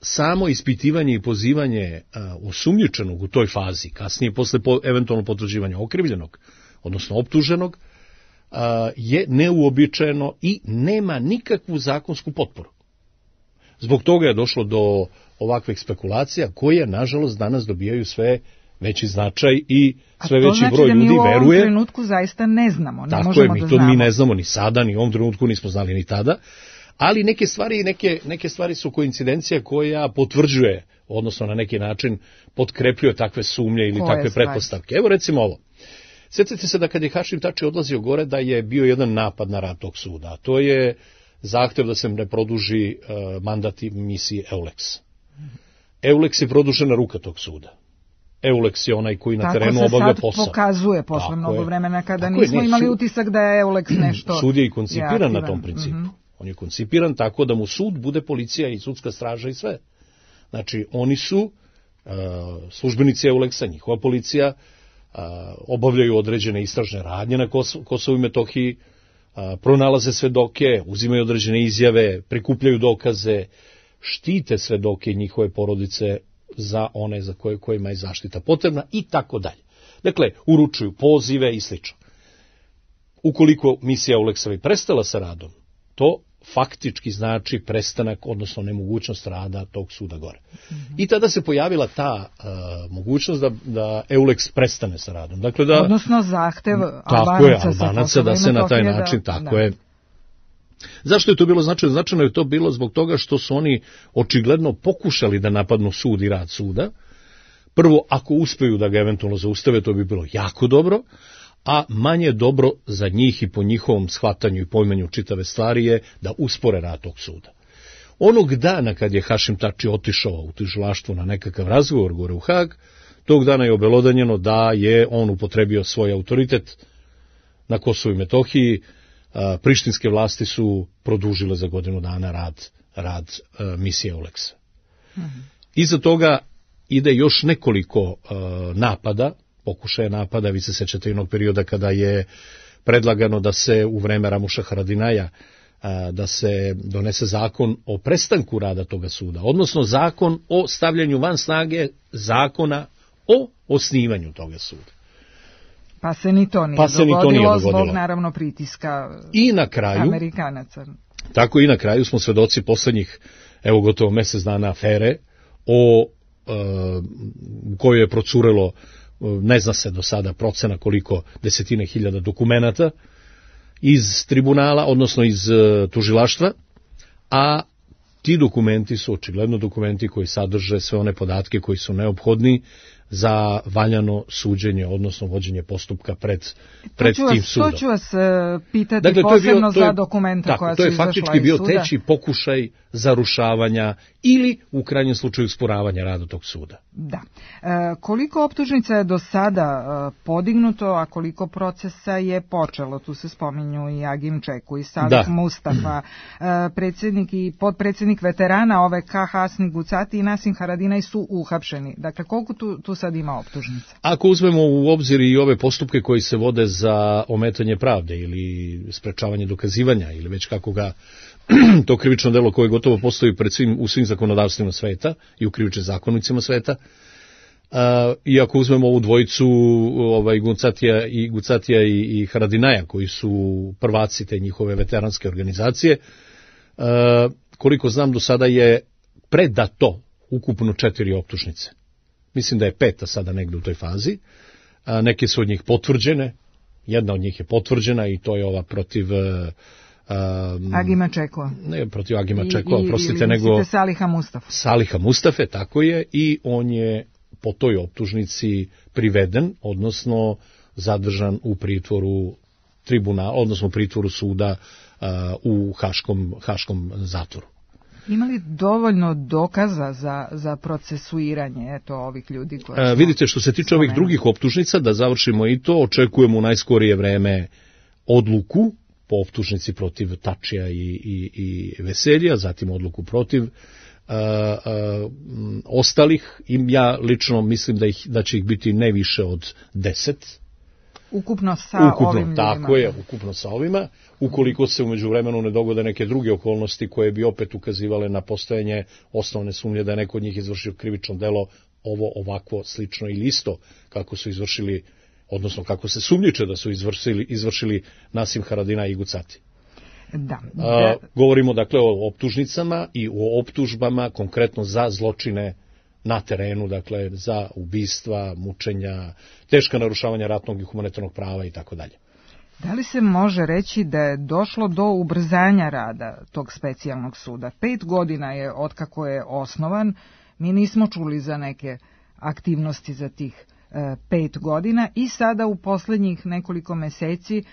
samo ispitivanje i pozivanje a, osumnjičenog u toj fazi, kasnije posle po, eventualno potvrđivanja okrivljenog, odnosno optuženog, a, je neuobičajeno i nema nikakvu zakonsku potporu. Zbog toga je došlo do ovakvih spekulacija koje, nažalost, danas dobijaju sve veći značaj i sve veći
znači
broj ljudi veruje. A to znači da mi u ovom
trenutku zaista ne znamo, ne
Tako
možemo
je, mi
da
to
znamo.
mi ne znamo ni sada, ni u ovom trenutku nismo znali ni tada. Ali neke stvari, neke, neke stvari su koincidencija koja potvrđuje, odnosno na neki način potkrepljuje takve sumnje ili Koje takve stvari? pretpostavke. Evo recimo ovo. Sjetite se da kad je Hašim Tači odlazio gore da je bio jedan napad na rad tog suda. A to je zahtev da se ne produži uh, mandat misiji EULEX. EULEX je produžena ruka tog suda. EULEX je onaj koji na
Tako
terenu obavlja posao.
Tako se sad pokazuje posle mnogo vremena kada Tako nismo je, ne, imali sud, utisak da je EULEX nešto...
Sud je i koncipiran
je
na tom principu.
Mm-hmm.
On je koncipiran tako da mu sud bude policija i sudska straža i sve. Znači, oni su uh, službenici EULEX-a, njihova policija, uh, obavljaju određene istražne radnje na Kos- Kosovu i Metohiji, uh, pronalaze svedoke, uzimaju određene izjave, prikupljaju dokaze, štite svedoke i njihove porodice za one za koje kojima je zaštita potrebna i tako dalje. Dakle, uručuju pozive i slično. Ukoliko misija EULEX-a prestala sa radom, to faktički znači prestanak, odnosno nemogućnost rada tog suda gore. Mm-hmm. I tada se pojavila ta uh, mogućnost da, da EULEX prestane sa radom. Dakle, da,
odnosno zahtev
Albanaca, Albanaca da se na taj način, da, tako da. je. Zašto je to bilo značajno? Značajno je to bilo zbog toga što su oni očigledno pokušali da napadnu sud i rad suda. Prvo, ako uspeju da ga eventualno zaustave, to bi bilo jako dobro, a manje dobro za njih i po njihovom shvatanju i pojmanju čitave stvari je da uspore rad tog suda. Onog dana kad je Hašim Tači otišao u tužilaštvo na nekakav razgovor gore u Hag, tog dana je obelodanjeno da je on upotrebio svoj autoritet na Kosovu i Metohiji. Prištinske vlasti su produžile za godinu dana rad, rad misije EULEX-a. Mm-hmm. Iza toga ide još nekoliko uh, napada, pokušaja napada, vi se sećate jednog perioda kada je predlagano da se u vreme Ramuša Haradinaja da se donese zakon o prestanku rada toga suda, odnosno zakon o stavljanju van snage zakona o osnivanju toga suda.
Pa se ni to nije,
pa se
dogodilo,
ni to nije dogodilo
zbog naravno pritiska
I na kraju,
Amerikanaca.
Tako i na kraju smo svedoci poslednjih, evo gotovo mesec dana afere o e, u kojoj je procurelo, ne zna se do sada procena koliko desetine hiljada dokumenata iz tribunala, odnosno iz e, tužilaštva, a ti dokumenti su očigledno dokumenti koji sadrže sve one podatke koji su neophodni za valjano suđenje, odnosno vođenje postupka pred, pred tim
vas,
sudom.
To ću vas uh, pitati
dakle,
posebno
bio,
za
je,
dokumenta
tako,
koja
su
su
izašla iz suda. To je faktički bio teći pokušaj zarušavanja ili u krajnjem slučaju usporavanja rada tog suda.
Da. E, koliko optužnica je do sada e, podignuto, a koliko procesa je počelo? Tu se spominju i Agim Čeku i Salih Mustafa, e, predsjednik i podpredsjednik veterana O V K Hasni Gucati i Nasim Haradinaj su uhapšeni. Dakle, koliko tu, tu sad ima optužnica?
Ako uzmemo u obzir i ove postupke koji se vode za ometanje pravde ili sprečavanje dokazivanja ili već kako ga to krivično delo koje gotovo postoji pred svim, u svim zakonodavstvima sveta i u krivičnim zakonicima sveta. Uh, I ako uzmemo ovu dvojicu ovaj, Gucatija, i, Gucatija i, i Haradinaja, koji su prvaci te njihove veteranske organizacije, uh, koliko znam do sada je predato ukupno četiri optužnice. Mislim da je peta sada negde u toj fazi. Uh, neke su od njih potvrđene, jedna od njih je potvrđena i to je ova protiv... Uh,
Um, Agima Čekova.
Ne, protiv Agima Čekova, prostite, nego...
Saliha Mustafa.
Saliha Mustafe, tako je, i on je po toj optužnici priveden, odnosno zadržan u pritvoru tribunala, odnosno u pritvoru suda uh, u Haškom, Haškom zatvoru.
Ima li dovoljno dokaza za, za procesuiranje eto, ovih ljudi? Koje
uh, vidite, što se tiče spomenuli. Ovih drugih optužnica, da završimo i to, očekujemo u najskorije vreme odluku po optužnici protiv Tačija i, i, i Veselja, zatim odluku protiv uh, uh, ostalih. I ja lično mislim da, ih, da će ih biti ne više od deset.
Ukupno sa
ukupno,
ovim ljudima.
Tako je, ukupno sa ovima. Ukoliko se u međuvremenu ne dogode neke druge okolnosti koje bi opet ukazivale na postojanje osnovne sumnje da je neko od njih izvršio krivično delo, ovo ovako slično ili isto kako su izvršili, odnosno kako se sumnjiče da su izvršili, izvršili Nasim Haradinaj i Gucati.
Da, da.
A, govorimo dakle o optužnicama i o optužbama konkretno za zločine na terenu, dakle za ubistva, mučenja, teška narušavanja ratnog i humanitarnog prava i tako dalje.
Da li se može reći da je došlo do ubrzanja rada tog specijalnog suda? Pet godina je otkako je osnovan, mi nismo čuli za neke aktivnosti za tih pet godina i sada u posljednjih nekoliko meseci e,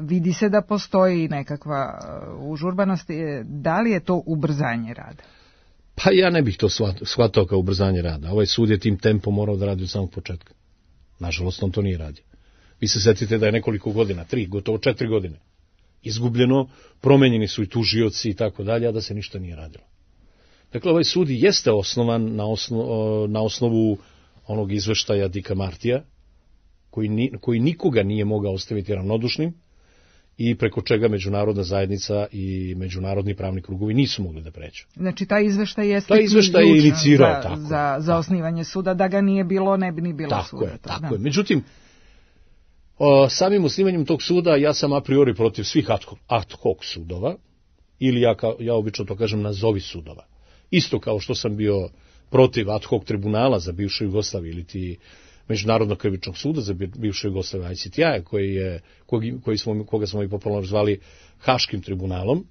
vidi se da postoji nekakva užurbanost. Da li je to ubrzanje rada?
Pa ja ne bih to shvatao kao ubrzanje rada. Ovaj sud je tim tempom morao da radi od samog početka. Nažalost, on to nije radio. Vi se setite da je nekoliko godina, tri, gotovo četiri godine, izgubljeno, promenjeni su i tužioci i tako dalje, a da se ništa nije radilo. Dakle, ovaj sud jeste osnovan na, osno, na osnovu onog izveštaja Dika Martija, koji, ni, koji nikoga nije mogao ostaviti ravnodušnim i preko čega međunarodna zajednica i međunarodni pravni krugovi nisu mogli da pređu.
Znači, taj izveštaj je
taj izveštaj je inicirao,
za,
tako,
za, za osnivanje suda, da ga nije bilo, ne bi ni bilo
tako
suda.
Je,
to,
tako
da.
je. Međutim, o, samim osnivanjem tog suda ja sam a priori protiv svih ad hoc sudova, ili ja, ka, ja obično to kažem nazovi sudova. Isto kao što sam bio protiv ad hoc tribunala za bivšu Jugoslaviju ili ti Međunarodnog krivičnog suda za bivšu Jugoslaviju I C T I, koji je, koji, koji smo, koga smo i popularno zvali Haškim tribunalom.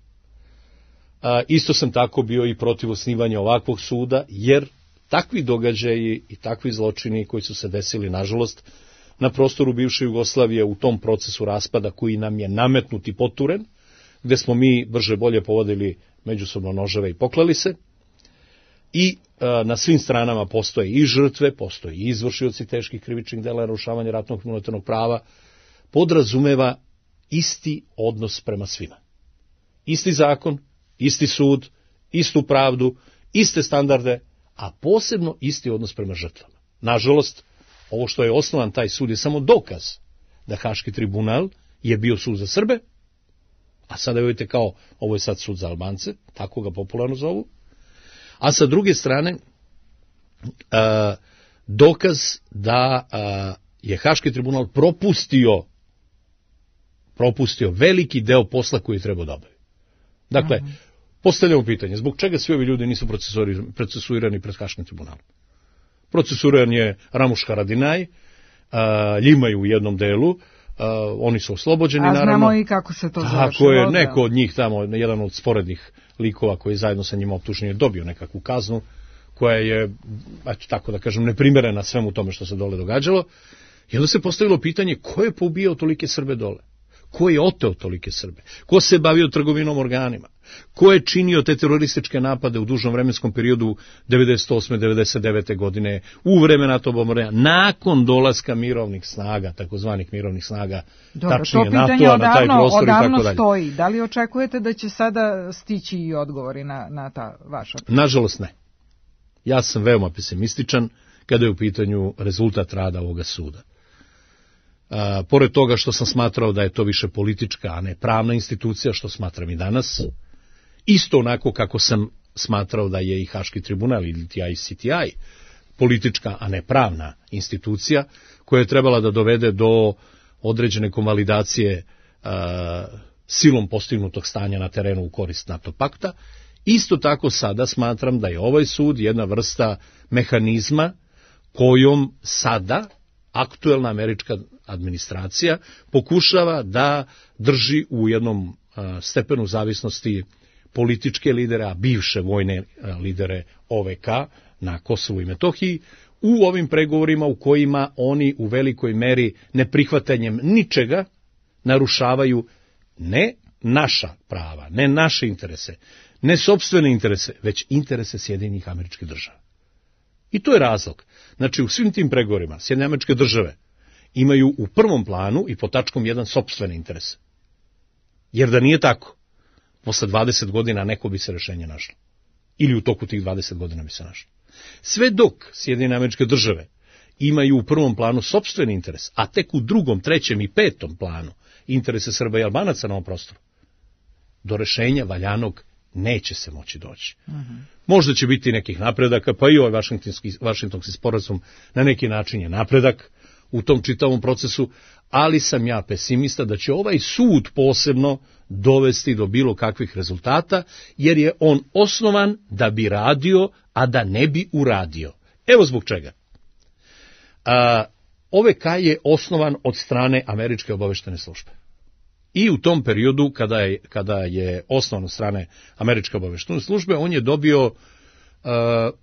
A, isto sam tako bio i protiv osnivanja ovakvog suda, jer takvi događaji i takvi zločini koji su se desili, nažalost, na prostoru bivše Jugoslavije u tom procesu raspada koji nam je nametnut i poturen, gde smo mi brže bolje povodili međusobno noževe i poklali se, i a, na svim stranama postoje i žrtve, postoje i izvršioci teških krivičnih dela narušavanja ratnog i humanitarnog prava, podrazumeva isti odnos prema svima. Isti zakon, isti sud, istu pravdu, iste standarde, a posebno isti odnos prema žrtvama. Nažalost, ovo što je osnovan taj sud je samo dokaz da Haški tribunal je bio sud za Srbe, A sada vidite kao, ovo je sad sud za Albance, tako ga popularno zovu. A sa druge strane, a, dokaz da a, je Haški tribunal propustio, propustio veliki deo posla koji je trebao da obavi. Dakle, mm-hmm. postavljamo pitanje, zbog čega svi ovi ljudi nisu procesuirani pred Haškim tribunalom? Procesuiran je Ramuš Haradinaj, Ljimaju u jednom delu, uh, oni su oslobođeni,
a
naravno.
A znamo i kako se to završilo.
Tako je, neko od njih tamo, jedan od sporednih likova koji je zajedno sa njima optužen je dobio nekakvu kaznu, koja je, eto tako da kažem, neprimerena svemu tome što se dole događalo. I onda se postavilo pitanje, ko je poubijao tolike Srbe dole? Ko je oteo tolike Srbe? Ko se bavio trgovinom organima? Ko je činio te terorističke napade u dužnom vremenskom periodu devedeset osme devedeset devete godine, u vreme NATO bombardovanja, nakon dolaska mirovnih snaga, takozvanih mirovnih snaga,
dobro,
tačnije
to pitanje
NATO-a
odavno,
na taj prostor i tako dalje.
Stoji. Da li očekujete da će sada stići i odgovori na, na ta vaša pitanja?
Nažalost ne. Ja sam veoma pesimističan kada je u pitanju rezultat rada ovoga suda. A, pored toga što sam smatrao da je to više politička, a ne pravna institucija, što smatram i danas, isto onako kako sam smatrao da je i Haški tribunal ili I C T I politička, a ne pravna institucija, koja je trebala da dovede do određene konvalidacije a, silom postignutog stanja na terenu u korist NATO pakta, isto tako sada smatram da je ovaj sud jedna vrsta mehanizma kojom sada aktuelna američka administracija pokušava da drži u jednom a, stepenu zavisnosti političke lidere, a bivše vojne a, lidere O V K na Kosovu i Metohiji, u ovim pregovorima u kojima oni u velikoj meri neprihvatanjem ničega narušavaju ne naša prava, ne naše interese, ne sopstvene interese, već interese Sjedinjenih Američkih Država. I to je razlog. Znači, u svim tim pregovorima Sjedinjene Američke Države imaju u prvom planu i pod tačkom jedan sopstvene interese. Jer da nije tako, posle dvadeset godina neko bi se rešenje našlo. Ili u toku tih dvadeset godina bi se našlo. Sve dok Sjedinjene Američke Države imaju u prvom planu sopstveni interes, a tek u drugom, trećem i petom planu interese Srba i Albanaca na ovom prostoru, do rešenja valjanog neće se moći doći. Mm-hmm. Možda će biti nekih napredaka, pa i ovaj Vašingtonski, Vašingtonski sporazum na neki način je napredak u tom čitavom procesu, ali sam ja pesimista da će ovaj sud posebno dovesti do bilo kakvih rezultata, jer je on osnovan da bi radio, a da ne bi uradio. Evo zbog čega. A, O V K je osnovan od strane Američke obaveštene službe. I u tom periodu, kada je, kada je osnovan od strane Američke obaveštene službe, on je dobio uh,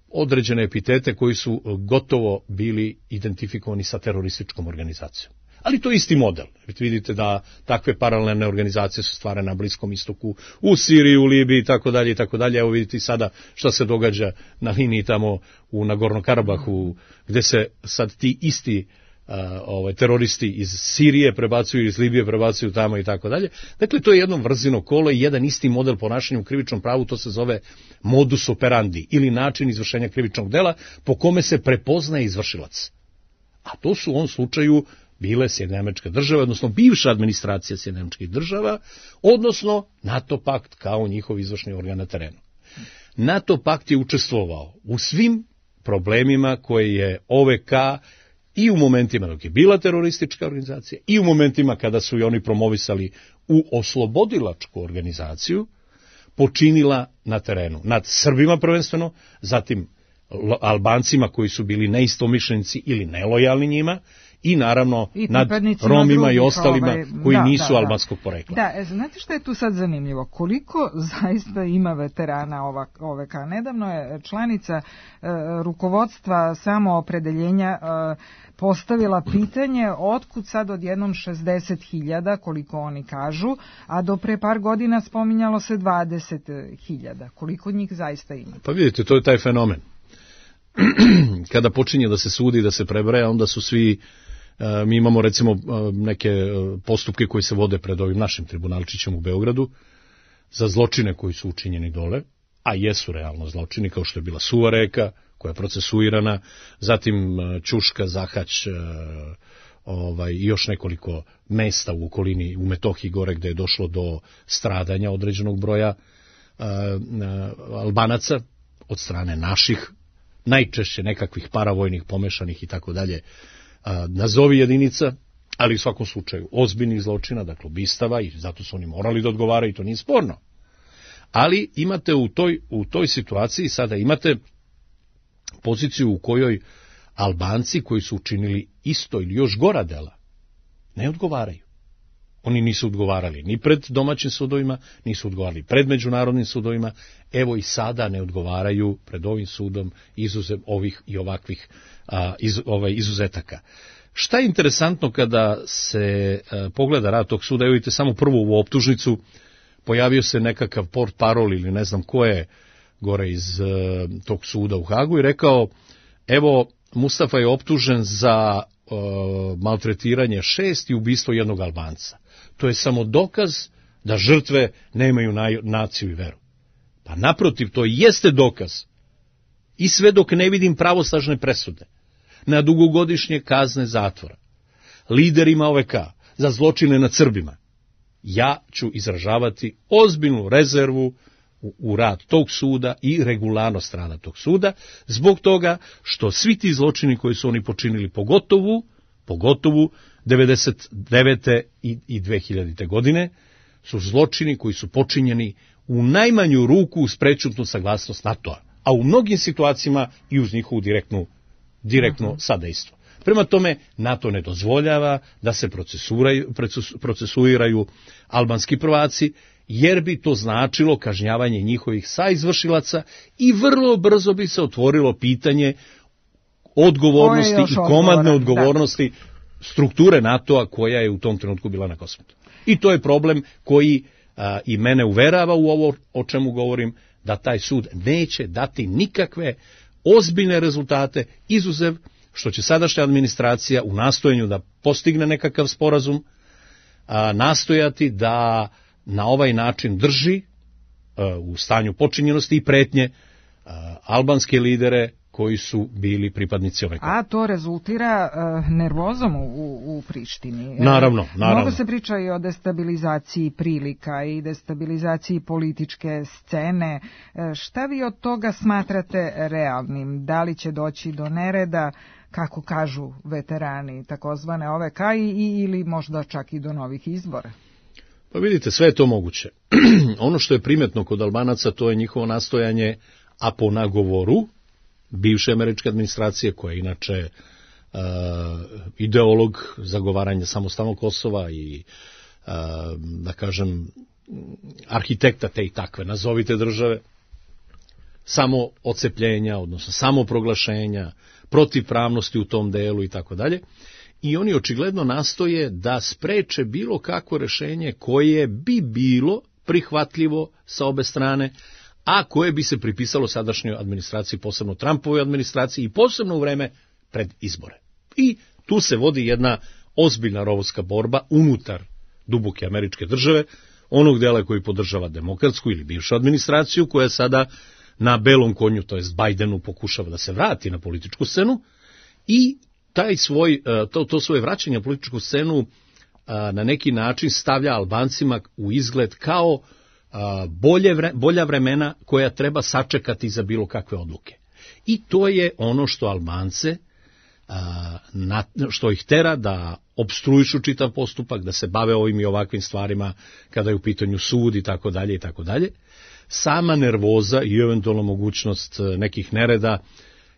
određene epitete koji su gotovo bili identifikovani sa terorističkom organizacijom. Ali to je isti model. Vidite da takve paralelne organizacije su stvarane na Bliskom istoku, u Siriji, u Libiji i tako dalje i tako dalje. Evo vidite sada šta se događa na liniji tamo u Nagorno-Karabahu, gde se sad ti isti Uh, ovaj, teroristi iz Sirije prebacuju, iz Libije prebacuju tamo i tako dalje. Dakle, to je jedno vrzino kolo i jedan isti model ponašanja u krivičnom pravu, to se zove modus operandi ili način izvršenja krivičnog dela po kome se prepoznaje izvršilac. A to su u ovom slučaju bile Sjedinjene Američke Države, odnosno bivša administracija Sjedinjenih Američkih Država, odnosno NATO pakt kao njihov izvršni organ na terenu. NATO pakt je učestvovao u svim problemima koje je O V K i u momentima dok je bila teroristička organizacija, i u momentima kada su i oni promovisali u oslobodilačku organizaciju, počinila na terenu. Nad Srbima prvenstveno, zatim Albancima koji su bili neistomišljenici ili nelojalni njima, i naravno I nad Romima drugih, i ostalima ovaj, koji da, nisu da, albanskog porekla.
Da, znate što je tu sad zanimljivo? Koliko zaista ima veterana O V K? Nedavno je članica e, rukovodstva samoopredeljenja e, postavila pitanje otkud sad odjednom šezdeset hiljada, koliko oni kažu, a do pre par godina spominjalo se dvadeset hiljada. Koliko njih zaista ima?
Pa vidite, to je taj fenomen. Kada počinje da se sudi, da se prebraja, onda su svi, mi imamo recimo neke postupke koji se vode pred ovim našim tribunalčićem u Beogradu za zločine koji su učinjeni dole, a jesu realno zločini, kao što je bila Suva reka, koja je procesuirana, zatim Ćuška, Zahać, ovaj, i još nekoliko mesta u okolini, u Metohiji gore, gde je došlo do stradanja određenog broja a, a, Albanaca od strane naših, najčešće nekakvih paravojnih, pomešanih i tako dalje, nazovi jedinica, ali u svakom slučaju ozbiljnih zločina, dakle ubistava, i zato su oni morali da odgovaraju, i to nije sporno. Ali imate u toj, u toj situaciji, sada imate poziciju u kojoj Albanci koji su učinili isto ili još gora dela ne odgovaraju. Oni nisu odgovarali ni pred domaćim sudovima, nisu odgovarali pred međunarodnim sudovima, evo i sada ne odgovaraju pred ovim sudom izuzev ovih i ovakvih a, iz, ovaj, izuzetaka. Šta je interesantno kada se a, pogleda rad tog suda, evo vidite samo prvu u optužnicu, pojavio se nekakav port parol ili ne znam ko je gore iz a, tog suda u Hagu i rekao, evo Mustafa je optužen za a, maltretiranje šest i ubistvo jednog Albanca. To je samo dokaz da žrtve nemaju naciju i veru. Pa naprotiv, to jeste dokaz. I sve dok ne vidim pravosnažne presude na dugogodišnje kazne zatvora liderima O V K za zločine nad Srbima, ja ću izražavati ozbiljnu rezervu u, u rad tog suda i regularnost rada tog suda, zbog toga što svi ti zločini koji su oni počinili, pogotovo, pogotovo devedeset devete i dve hiljadite godine, su zločini koji su počinjeni u najmanju ruku uz prečutnu saglasnost NATO-a, a u mnogim situacijama i uz njihovu direktnu, direktno uh-huh. sadejstvo. Prema tome, NATO ne dozvoljava da se procesuiraju albanski prvaci, jer bi to značilo kažnjavanje njihovih saizvršilaca i vrlo brzo bi se otvorilo pitanje odgovornosti i komandne odgovornosti da. strukture NATO-a koja je u tom trenutku bila na Kosmetu. I to je problem koji a, i mene uverava u ovo o čemu govorim, da taj sud neće dati nikakve ozbiljne rezultate, izuzev što će sadašnja administracija u nastojanju da postigne nekakav sporazum, a, nastojati da na ovaj način drži a, u stanju počinjenosti i pretnje a, albanske lidere koji su bili pripadnici O V K.
A to rezultira uh, nervozom u, u Prištini.
Naravno, naravno.
Mnogo se priča i o destabilizaciji prilika i destabilizaciji političke scene. Šta vi od toga smatrate realnim? Da li će doći do nereda, kako kažu veterani takozvane O V K, i, ili možda čak i do novih izbora?
Pa vidite, sve je to moguće. Ono što je primetno kod Albanaca, to je njihovo nastojanje, a po nagovoru bivše američke administracije, koja je inače uh, ideolog zagovaranja samostalnog Kosova i, uh, da kažem, arhitekta te i takve, nazovite države, samo odcepljenja, odnosno samo proglašenja, protivpravnosti u tom delu i tako dalje. I oni očigledno nastoje da spreče bilo kakvo rešenje koje bi bilo prihvatljivo sa obe strane, a koje bi se pripisalo sadašnjoj administraciji, posebno Trumpovoj administraciji i posebno u vreme pred izbore. I tu se vodi jedna ozbiljna rovovska borba unutar duboke američke države, onog dela koji podržava demokratsku ili bivšu administraciju, koja sada na belom konju, to jest Bajdenu, pokušava da se vrati na političku scenu, i taj svoj, to, to svoje vraćanje na političku scenu na neki način stavlja Albancima u izgled kao bolje vre, bolja vremena koja treba sačekati za bilo kakve odluke. I to je ono što Albance, na, što ih tera da opstruišu čitav postupak, da se bave ovim i ovakvim stvarima kada je u pitanju sud i tako dalje i tako dalje. Sama nervoza i eventualna mogućnost nekih nereda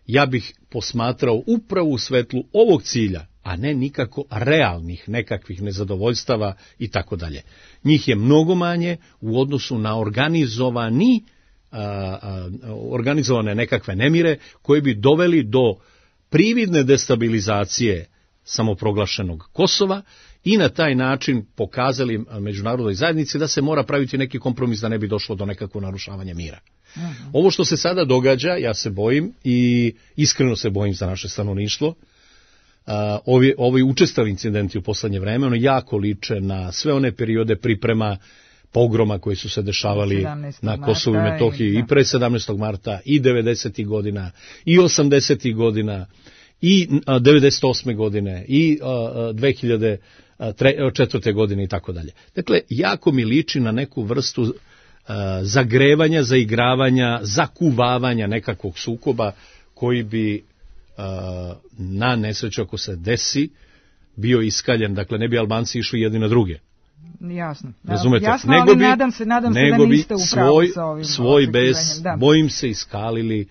ja bih posmatrao upravo u svetlu ovog cilja, a ne nikako realnih nekakvih nezadovoljstava i tako dalje. Njih je mnogo manje u odnosu na organizovani, a, a, organizovane nekakve nemire koje bi doveli do prividne destabilizacije samoproglašenog Kosova i na taj način pokazali međunarodnoj zajednici da se mora praviti neki kompromis da ne bi došlo do nekakvog narušavanja mira. Aha. Ovo što se sada događa, ja se bojim i iskreno se bojim za naše stanovništvo. Uh, ovi, ovi učestali incidenti u poslednje vreme, ono jako liče na sve one periode priprema pogroma koji su se dešavali na Kosovu i Metohiji i, i pre sedamnaestog marta i devedesetih godina i osamdesetih godina i devedeset osme godine i dve hiljade četvrte godine i tako dalje. Dakle, jako mi liči na neku vrstu zagrevanja, zaigravanja, zakuvavanja nekakvog sukoba koji bi na nesreću ako se desi bio iskaljen, dakle ne bi Albanci išli jedni na druge.
Jasno.
Razumete?
Jasno,
nego
ali
bi,
nadam se, nadam se da niste u pravu
svoj,
sa ovim
svoj bez,
da.
bojim se, iskalili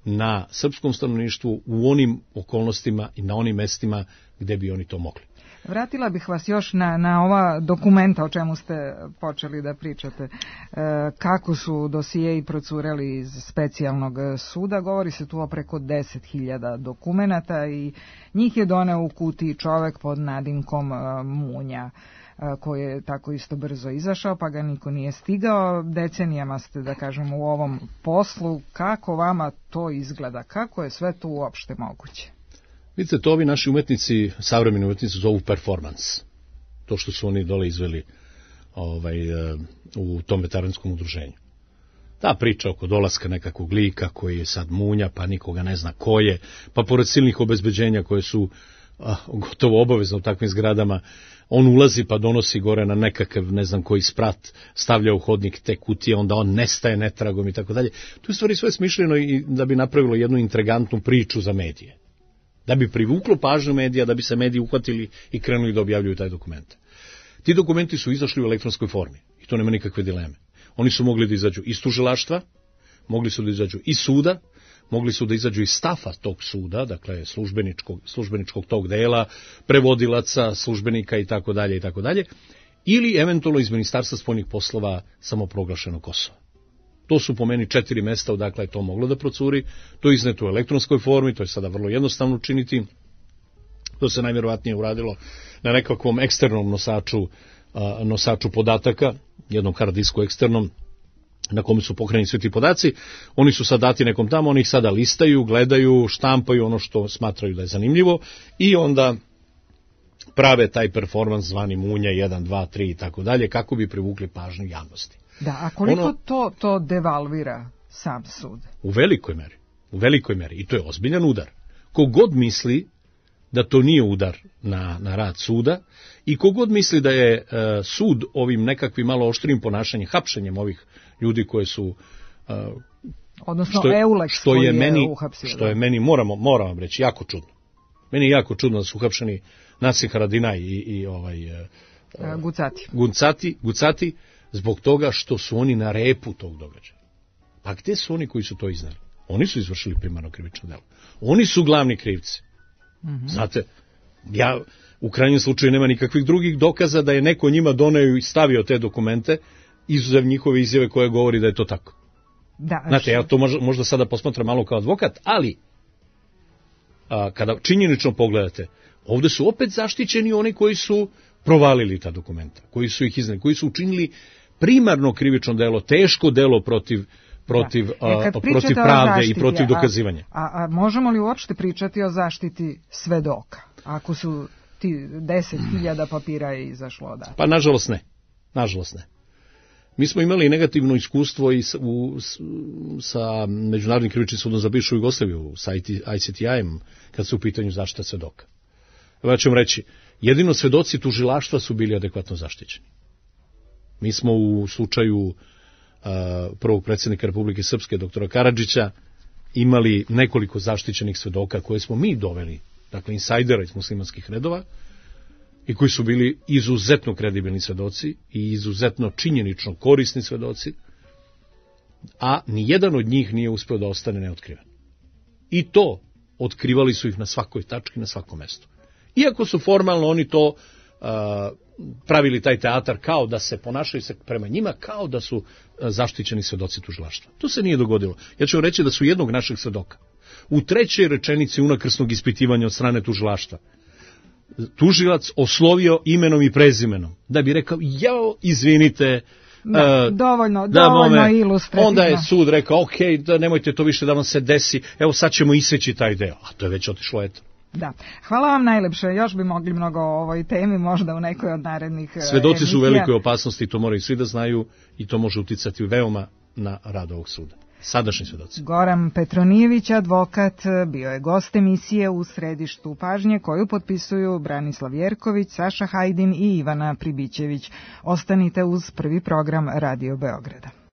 na srpskom stanovništvu u onim okolnostima i na onim mestima gde bi oni to mogli.
Vratila bih vas još na, na ova dokumenta o čemu ste počeli da pričate. E, kako su dosijeji procureli iz specijalnog suda, govori se tu o preko deset hiljada dokumenata i njih je doneo u kutiji čovek pod nadimkom e, Munja, koji je tako isto brzo izašao, pa ga niko nije stigao. Decenijama ste, da kažem, u ovom poslu. Kako vama to izgleda? Kako je sve to uopšte moguće?
Vidite, to ovi naši umetnici, savremeni umetnici, zovu performans. To što su oni dole izveli ovaj, u tom veteranskom udruženju. Ta priča oko dolaska nekakvog lika koji je sad Munja, pa nikoga ne zna ko je, pa pored silnih obezbeđenja koje su a, gotovo obavezno u takvim zgradama, on ulazi pa donosi gore na nekakav, ne znam koji sprat, stavlja u hodnik te kutije, onda on nestaje netragom i tako dalje. To je stvari sve smišljeno i da bi napravilo jednu intrigantnu priču za medije. Da bi privuklo pažnju medija, da bi se mediji uhvatili i krenuli da objavljuju taj dokument. Ti dokumenti su izašli u elektronskoj formi i to nema nikakve dileme. Oni su mogli da izađu iz tužilaštva, mogli su da izađu iz suda, mogli su da izađu iz stafa tog suda, dakle službeničkog, službeničkog tog dela, prevodilaca, službenika i tako dalje i tako dalje, ili eventualno iz Ministarstva spoljnih poslova samoproglašenog Kosova. To su po meni četiri mesta odakle je to moglo da procuri, to je izneto u elektronskoj formi, to je sada vrlo jednostavno učiniti, to se najvjerovatnije uradilo na nekakvom eksternom nosaču, nosaču podataka, jednom hard disku eksternom, na kome su pohranjeni svi ti podaci, oni su sad dati nekom tamo, oni ih sada listaju, gledaju, štampaju ono što smatraju da je zanimljivo i onda prave taj performans zvani Munja jedan, dva, tri i tako dalje, kako bi privukli pažnju javnosti.
Da, a koliko
ono,
to, to devalvira sam sud?
U velikoj meri, u velikoj meri, i to je ozbiljan udar. Kogod misli da to nije udar na, na rad suda i kogod misli da je uh, sud ovim nekakvim malo oštrim ponašanjem, hapšenjem ovih ljudi koje su uh,
odnosno
što,
Euleks
što je meni
uhapsio,
što je meni moramo moram vam reći jako čudno. Meni je jako čudno da su uhapšeni Naci Haradinaj i, i ovaj uh,
uh, Gucati.
Gucati, Gucati zbog toga što su oni na repu tog događaja. Pa gde su oni koji su to iznali? Oni su izvršili primarno krivično delo. Oni su glavni krivci. Mm-hmm. Znate, ja u krajnjem slučaju nema nikakvih drugih dokaza da je neko njima doneo i stavio te dokumente, izuzev njihove izjave koje govori da je to tako.
Da,
znate, ja to možda, možda sada posmatram malo kao advokat, ali a, kada činjenično pogledate, ovde su opet zaštićeni oni koji su provalili ta dokumenta, koji su ih iznali, koji su učinili primarno krivično delo, teško delo protiv protiv,
e,
protiv pravde zaštiti, i protiv dokazivanja.
A, a, a možemo li uopšte pričati o zaštiti svedoka, ako su ti deset hiljada papira je izašlo odatle?
Pa nažalost ne, nažalost ne. Mi smo imali negativno iskustvo i sa, u, sa Međunarodnim krivičnim sudom za bivšu Jugoslaviju, sa I C T I-em, kad su u pitanju zaštita svedoka. Ja ću vam reći, jedino svedoci tužilaštva su bili adekvatno zaštićeni. Mi smo u slučaju prvog predsjednika Republike Srpske, doktora Karadžića, imali nekoliko zaštićenih svedoka koje smo mi doveli, dakle insajdera iz muslimanskih redova, i koji su bili izuzetno kredibilni svedoci i izuzetno činjenično korisni svedoci, a nijedan od njih nije uspeo da ostane neotkriven. I to otkrivali su ih na svakoj tački, na svakom mestu. Iako su formalno oni to uh, pravili taj teatar kao da se ponašaju se prema njima kao da su zaštićeni svedoci tužilaštva. To se nije dogodilo. Ja ću vam reći da su jednog našeg svedoka u trećoj rečenici unakrsnog ispitivanja od strane tužilaštva tužilac oslovio imenom i prezimenom, da bi rekao, jao, izvinite,
da, uh, dovoljno, da, dovoljno mome, ilustrativno.
Onda je sud rekao, ok, da nemojte to više da vam se desi, evo sad ćemo iseći taj deo, a to je već otišlo, eto.
Da. Hvala vam najlepše, još bi mogli mnogo o ovoj temi, možda u nekoj od narednih
Svedoci
emisija.
su u velikoj opasnosti, to moraju svi da znaju i to može uticati veoma na rad ovog suda. Sadašnji svedoci.
Goran Petronijević, advokat, bio je gost emisije U središtu pažnje, koju potpisuju Branislav Jerković, Saša Hajdin i Ivana Pribićević. Ostanite uz prvi program Radio Beograda.